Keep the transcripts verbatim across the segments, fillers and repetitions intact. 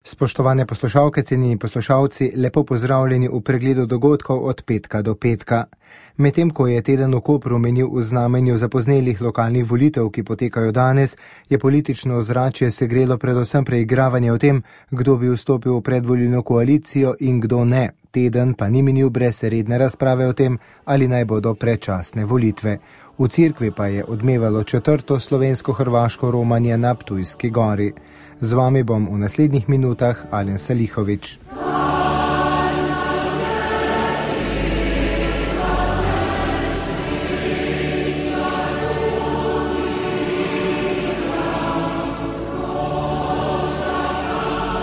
Spoštovane poslušalke, cenjeni poslušalci, lepo pozdravljeni v pregledu dogodkov od petka do petka. Medtem ko je teden v Kopru menil v znamenju zapoznelih lokalnih volitev, ki potekajo danes, je politično ozračje segrelo predvsem preigravanje o tem, kdo bi vstopil v predvolilno koalicijo in kdo ne. Teden pa ni minil brez redne razprave o tem, ali naj bodo predčasne volitve. V cerkvi pa je odmevalo četrto slovensko-hrvaško romanje na Ptujski gori. Z vami bom v naslednjih minutah Alen Salihovič.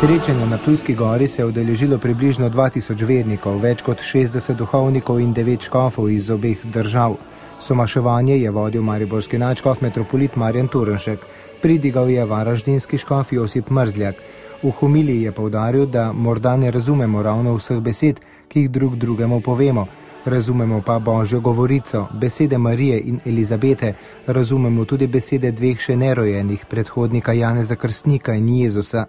Srečanja na Ptujski gori se je udeležilo približno dva tisoč vernikov, več kot šestdeset duhovnikov in devet škofov iz obeh držav. Somaševanje je vodil mariborski nadškof metropolit Marjan Turnšek, pridigal je varaždinski škof Josip Mrzljak. V homiliji je poudaril, da morda ne razumemo ravno vseh besed, ki jih drug drugemu povemo. Razumemo pa Božjo govorico, besede Marije in Elizabete, razumemo tudi besede dveh še nerojenih, predhodnika Janeza Krstnika in Jezusa.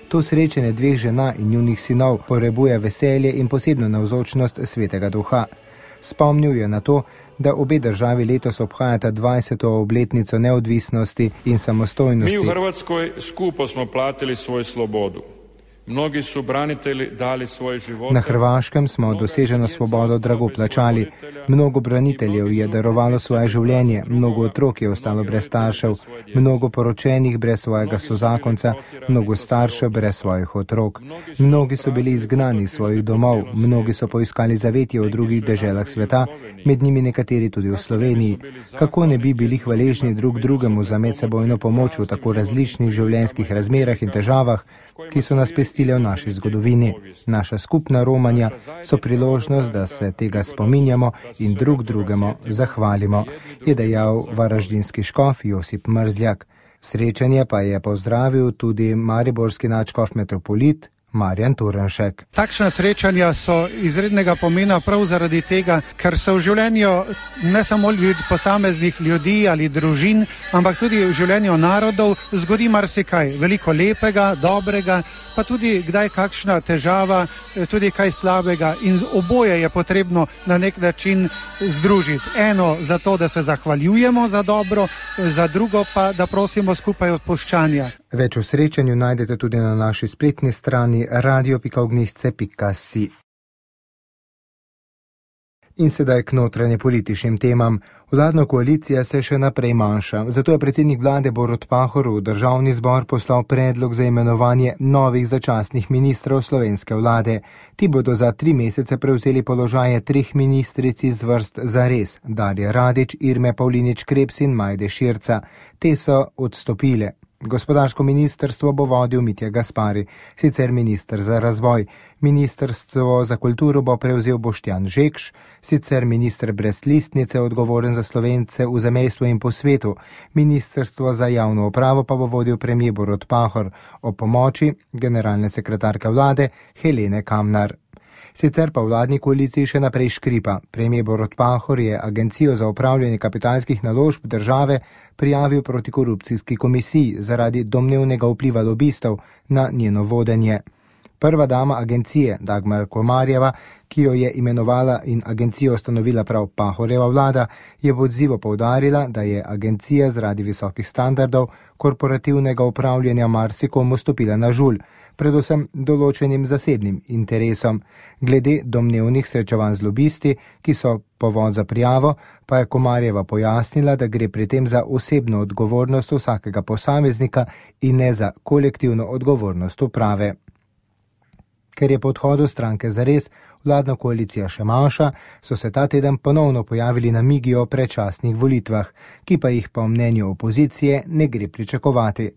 To srečanje dveh žena in njunih sinov potrebuje veselje in posebno navzočnost Svetega Duha. Spomnil je na to, da obe državi letos obhajata dvajseto obletnico neodvisnosti in samostojnosti. Mi v Hrvatskoj skupo smo platili svojo slobodu. Mnogi su branitelji dali svoje živote. Na Hrvaškem smo doseženo svobodo drago plačali. Mnogo braniteljev je darovalo svoje življenje, mnogo otrok je ostalo brez staršev, mnogo poročenih brez svojega sozakonca, mnogo staršev brez svojih otrok. Mnogi so bili izgnani iz svojih domov, mnogi so poiskali zavetje v drugih deželah sveta, med njimi nekateri tudi v Sloveniji. Kako ne bi bili hvaležni drug drugemu za medsebojno pomoč v tako različnih življenjskih razmerah in težavah, ki so nas pestile v naši zgodovini. Naša skupna romanja so priložnost, da se tega spominjamo in drug drugemu zahvalimo, je dejal varaždinski škof Josip Mrzljak. Srečanje pa je pozdravil tudi mariborski nadškof metropolit Marjan Turnšek. Takšna srečanja so izrednega pomena prav zaradi tega, ker se v življenju ne samo ljud, posameznih ljudi ali družin, ampak tudi v življenju narodov zgodi marsikaj, veliko lepega, dobrega, pa tudi kdaj kakšna težava, tudi kaj slabega in oboje je potrebno na nek način združiti. Eno za to, da se zahvaljujemo za dobro, za drugo pa, da prosimo skupaj odpuščanja. Več o srečanju najdete tudi na naši spletni strani radio pika ognjišče pika si. In sedaj k notranje političnim temam. Vladna koalicija se še naprej manjša, zato je predsednik vlade Borut Pahor v državni zbor poslal predlog za imenovanje novih začasnih ministrov slovenske vlade. Ti bodo za tri mesece prevzeli položaje treh ministric iz vrst zares, Darje Radić, Irme Pavlinič Krebs in Majde Širca. Te so odstopile. Gospodarsko ministrstvo bo vodil Mitja Gaspari, sicer minister za razvoj. Ministrstvo za kulturo bo prevzel Boštjan Žekš, sicer minister brez listnice, odgovoren za Slovence v zamejstvu in po svetu. Ministrstvo za javno upravo pa bo vodil premier Borut Pahor, o pomoči generalne sekretarke vlade Helene Kamnar. Sicer pa vladni koaliciji še naprej škripa. Premier Borut Pahor je Agencijo za upravljanje kapitalskih naložb države prijavil protikorupcijski komisiji zaradi domnevnega vpliva lobistov na njeno vodenje. Prva dama agencije, Dagmar Komarjeva, ki jo je imenovala in agencijo ustanovila prav Pahorjeva vlada, je v odzivu poudarila, da je agencija zaradi visokih standardov korporativnega upravljanja marsikomu stopila na žulj, predvsem določenim zasebnim interesom. Glede domnevnih srečevanj z lobisti, ki so povod za prijavo, pa je Komarjeva pojasnila, da gre pri tem za osebno odgovornost vsakega posameznika in ne za kolektivno odgovornost uprave. Ker je po odhodu stranke zares vladna koalicija še manjša, so se ta teden ponovno pojavili namigi o predčasnih volitvah, ki pa jih po mnenju opozicije ne gre pričakovati.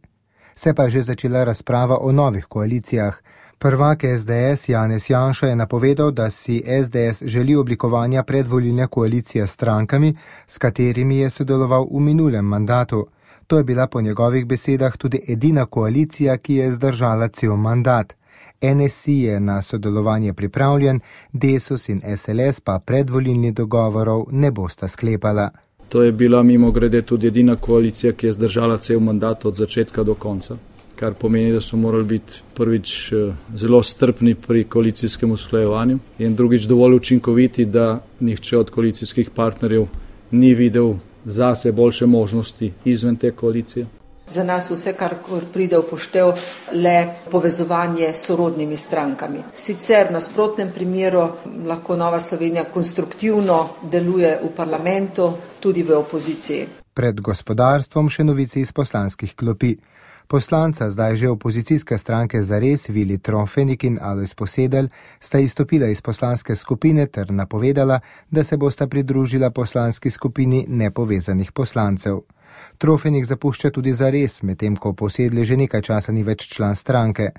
Se pa je že začela razprava o novih koalicijah. Prvak es de es Janez Janša je napovedal, da si es de es želi oblikovanja predvolilne koalicije s strankami, s katerimi je sodeloval v minulem mandatu. To je bila po njegovih besedah tudi edina koalicija, ki je zdržala cel mandat. en es i je na sodelovanje pripravljen, Desus in es el es pa predvolilnih dogovorov ne bosta sklepala. To je bila mimogrede tudi edina koalicija, ki je zdržala cel mandat od začetka do konca, kar pomeni, da smo morali biti prvič zelo strpni pri koalicijskem usklajevanju in drugič dovolj učinkoviti, da nihče od koalicijskih partnerjev ni videl zase boljše možnosti izven te koalicije. Za nas vse, kar pride v poštev, le povezovanje s sorodnimi strankami. Sicer v nasprotnem primeru lahko Nova Slovenija konstruktivno deluje v parlamentu, tudi v opoziciji. Pred gospodarstvom še novice iz poslanskih klopi. Poslanca zdaj že opozicijske stranke Zares, Vili Trofenik in Alojz Posedelj, sta izstopila iz poslanske skupine ter napovedala, da se bosta pridružila poslanski skupini nepovezanih poslancev. Trofenik zapušča tudi Zares, medtem ko Posedelj že nekaj časa ni več član stranke.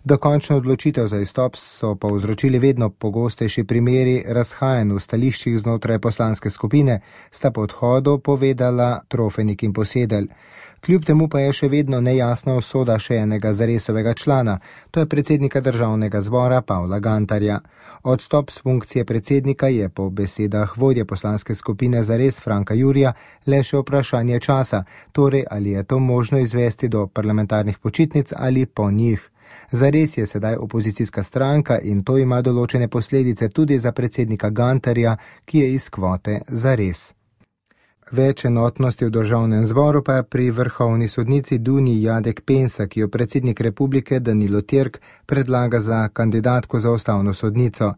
Dokončno odločitev za izstop so povzročili vedno pogostejši primeri razhajanj v stališčih znotraj poslanske skupine, sta po odhodu povedala Trofenik in Posedelj. Kljub temu pa je še vedno nejasna usoda še enega Zaresovega člana, to je predsednika državnega zbora Pavla Gantarja. Odstop s funkcije predsednika je po besedah vodje poslanske skupine Zares Franka Jurija le še vprašanje časa, torej ali je to možno izvesti do parlamentarnih počitnic ali po njih. Zares je sedaj opozicijska stranka in to ima določene posledice tudi za predsednika Gantarja, ki je iz kvote Zares. Več enotnosti v državnem zboru pa je pri vrhovni sodnici Dunji Jadek Pensa, ki jo predsednik republike Danilo Türk predlaga za kandidatko za ustavno sodnico.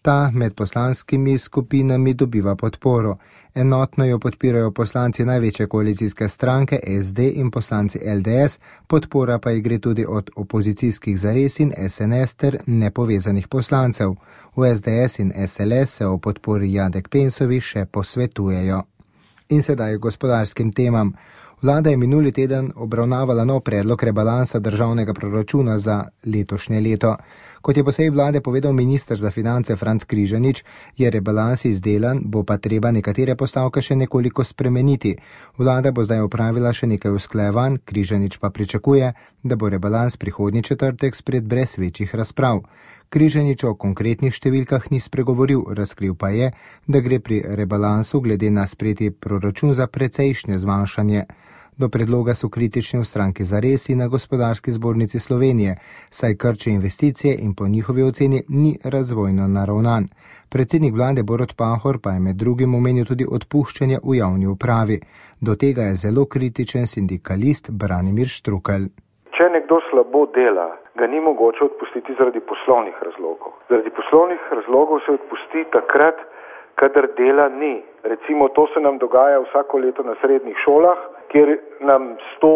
Ta med poslanskimi skupinami dobiva podporo. Enotno jo podpirajo poslanci največje koalicijske stranke S D in poslanci L D S, podpora pa ji gre tudi od opozicijskih Zares in S N S ter nepovezanih poslancev. V S D S in S L S se o podpori Jadek Pensovi še posvetujejo. In sedaj gospodarskim temam. Vlada je minuli teden obravnavala nov predlog rebalansa državnega proračuna za letošnje leto. Kot je po seji vlade povedal minister za finance Franc Križanič, je rebalans izdelan, bo pa treba nekatere postavke še nekoliko spremeniti. Vlada bo zdaj opravila še nekaj usklajevanj, Križanič pa pričakuje, da bo rebalans prihodnji četrtek spred brez večjih razprav. Križanič o konkretnih številkah ni spregovoril, razkril pa je, da gre pri rebalansu glede na sprejeti proračun za precejšnje zmanjšanje. Do predloga so kritični v stranki Zares in na Gospodarski zbornici Slovenije, saj krči investicije in po njihovi oceni ni razvojno naravnan. Predsednik vlade Borut Pahor pa je med drugim omenil tudi odpuščanje v javni upravi. Do tega je zelo kritičen sindikalist Branimir Štrukelj. Če nekdo slabo dela, ga ni mogoče odpustiti zaradi poslovnih razlogov. Zaradi poslovnih razlogov se odpusti takrat, kadar dela ni. Recimo to se nam dogaja vsako leto na srednjih šolah, kjer nam sto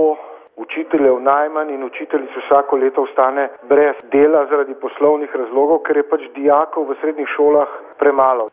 učiteljev najmanj in učiteljic vsako leto ostane brez dela zaradi poslovnih razlogov, ker je pač dijakov v srednjih šolah premalo.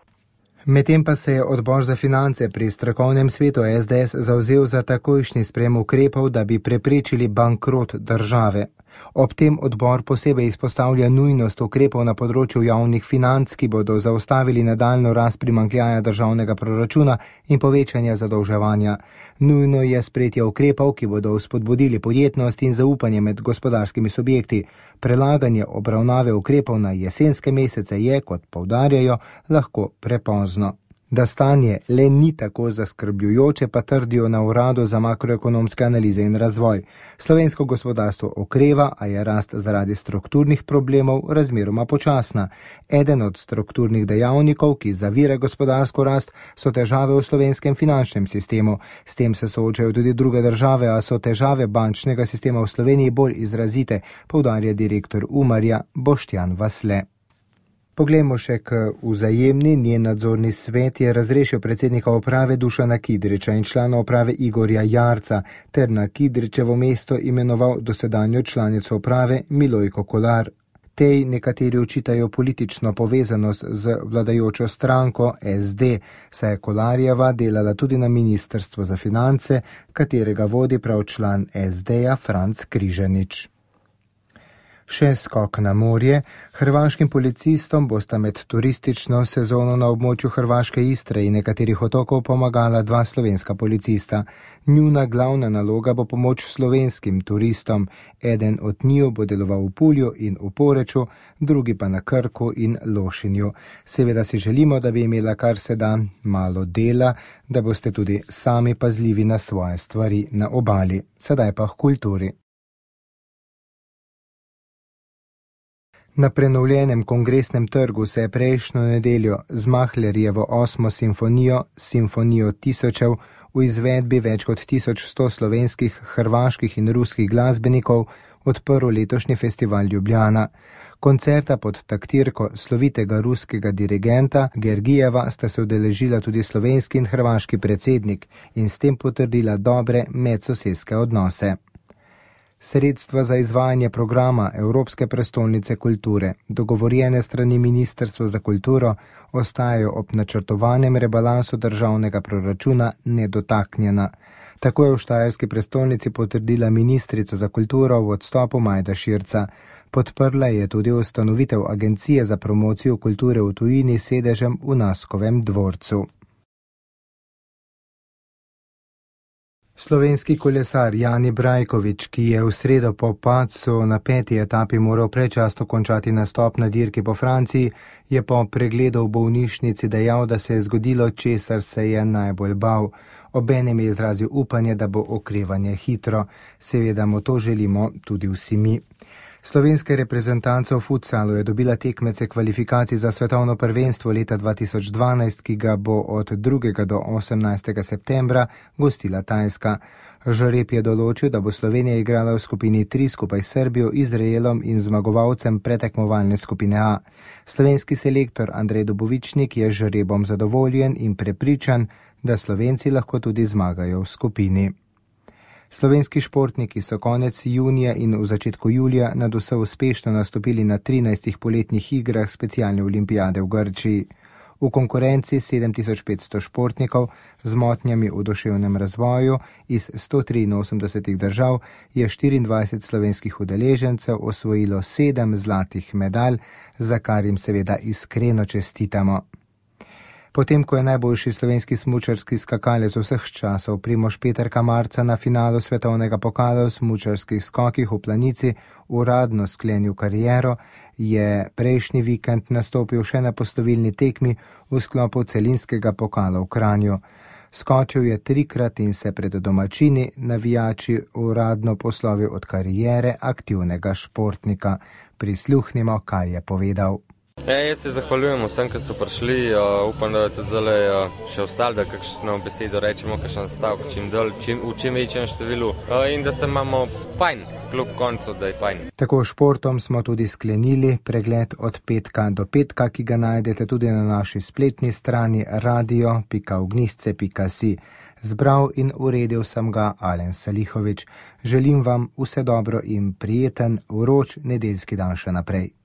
Medtem pa se je odbor za finance pri strokovnem svetu S D S zavzel za takojšnji sprejem ukrepov, da bi preprečili bankrot države. Ob tem odbor posebej izpostavlja nujnost ukrepov na področju javnih financ, ki bodo zaustavili nadaljnjo rast primanjkljaja državnega proračuna in povečanja zadolževanja. Nujno je sprejetje ukrepov, ki bodo vzpodbudili podjetnost in zaupanje med gospodarskimi subjekti. Prelaganje obravnave ukrepov na jesenske mesece je, kot poudarjajo, lahko prepozno. Da stanje le ni tako zaskrbljujoče, pa trdijo na Uradu za makroekonomske analize in razvoj. Slovensko gospodarstvo okreva, a je rast zaradi strukturnih problemov razmeroma počasna. Eden od strukturnih dejavnikov, ki zavira gospodarsko rast, so težave v slovenskem finančnem sistemu. S tem se soočajo tudi druge države, a so težave bančnega sistema v Sloveniji bolj izrazite, poudarja direktor Umarja Boštjan Vasle. Poglejmo še k Vzajemni. Njen nadzorni svet je razrešil predsednika uprave Dušana Kidriča in člana uprave Igorja Jarca ter na Kidričevo mesto imenoval dosedanjo članico uprave Milojko Kolar. Tej nekateri očitajo politično povezanost z vladajočo stranko S D, saj je Kolarjeva delala tudi na Ministrstvu za finance, katerega vodi prav član S D-ja Franc Križanič. Še skok na morje. Hrvaškim policistom bosta med turistično sezono na območju Hrvaške Istre in nekaterih otokov pomagala dva slovenska policista. Njuna glavna naloga bo pomoč slovenskim turistom. Eden od njiju bo deloval v Pulju in v Poreču, drugi pa na Krku in Lošinju. Seveda si želimo, da bi imela kar se da malo dela, da boste tudi sami pazljivi na svoje stvari na obali. Sedaj pa k kulturi. Na prenovljenem kongresnem trgu se je prejšnjo nedeljo z Mahlerjevo osmo simfonijo, Simfonijo tisočev, v izvedbi več kot tisoč sto slovenskih, hrvaških in ruskih glasbenikov odprl letošnji festival Ljubljana. Koncerta pod taktirko slovitega ruskega dirigenta Gergijeva sta se udeležila tudi slovenski in hrvaški predsednik in s tem potrdila dobre medsosedske odnose. Sredstva za izvajanje programa Evropske prestolnice kulture, dogovorjene strani Ministrstva za kulturo, ostajajo ob načrtovanem rebalansu državnega proračuna nedotaknjena. Tako je v štajerski prestolnici potrdila ministrica za kulturo v odstopu Majda Širca. Podprla je tudi ustanovitev Agencije za promocijo kulture v tujini s sedežem v Naskovem dvorcu. Slovenski kolesar Jani Brajkovič, ki je v sredo po padcu na peti etapi moral predčasno končati nastop na dirki po Franciji, je po pregledu v bolnišnici dejal, da se je zgodilo, česar se je najbolj bal. Obenem je izrazil upanje, da bo okrevanje hitro. Seveda mu to želimo tudi vsi mi. Slovenska reprezentanca v futsalu je dobila tekmece kvalifikacij za svetovno prvenstvo leta dva tisoč dvanajst, ki ga bo od drugega do osemnajstega septembra gostila Tajska. Žreb je določil, da bo Slovenija igrala v skupini tri skupaj s Srbijo, Izraelom in zmagovalcem pretekmovalne skupine A. Slovenski selektor Andrej Dobovičnik je žrebom zadovoljen in prepričan, da Slovenci lahko tudi zmagajo v skupini. Slovenski športniki so konec junija in v začetku julija nadvse uspešno nastopili na trinajstih poletnih igrah specialne olimpijade v Grčiji. V konkurenci sedem tisoč petsto športnikov z motnjami v duševnem razvoju iz sto triinosemdeset držav je štiriindvajset slovenskih udeležencev osvojilo sedem zlatih medalj, za kar jim seveda iskreno čestitamo. Potem, ko je najboljši slovenski smučarski skakalec vseh časov Primož Peterka marca na finalu svetovnega pokala v smučarskih skokih v Planici uradno sklenil kariero, je prejšnji vikend nastopil še na poslovilni tekmi v sklopu celinskega pokala v Kranju. Skočil je trikrat in se pred domačini navijači uradno poslovil od kariere aktivnega športnika. Prisluhnimo, kaj je povedal. Ja, jaz se zahvaljujem vsem, ki so prišli. Uh, upam, da je zdaj uh, še ostalo, da kakšno besedo rečemo, kakšen stavek, čim dol, čim, v čim večjem številu uh, in da se imamo fajn, kljub koncu, da je fajn. Tako športom smo tudi sklenili pregled od petka do petka, ki ga najdete tudi na naši spletni strani radio pika ognjišče pika si. Zbral in uredil sem ga Alen Salihovič. Želim vam vse dobro in prijeten, vroč nedeljski dan še naprej.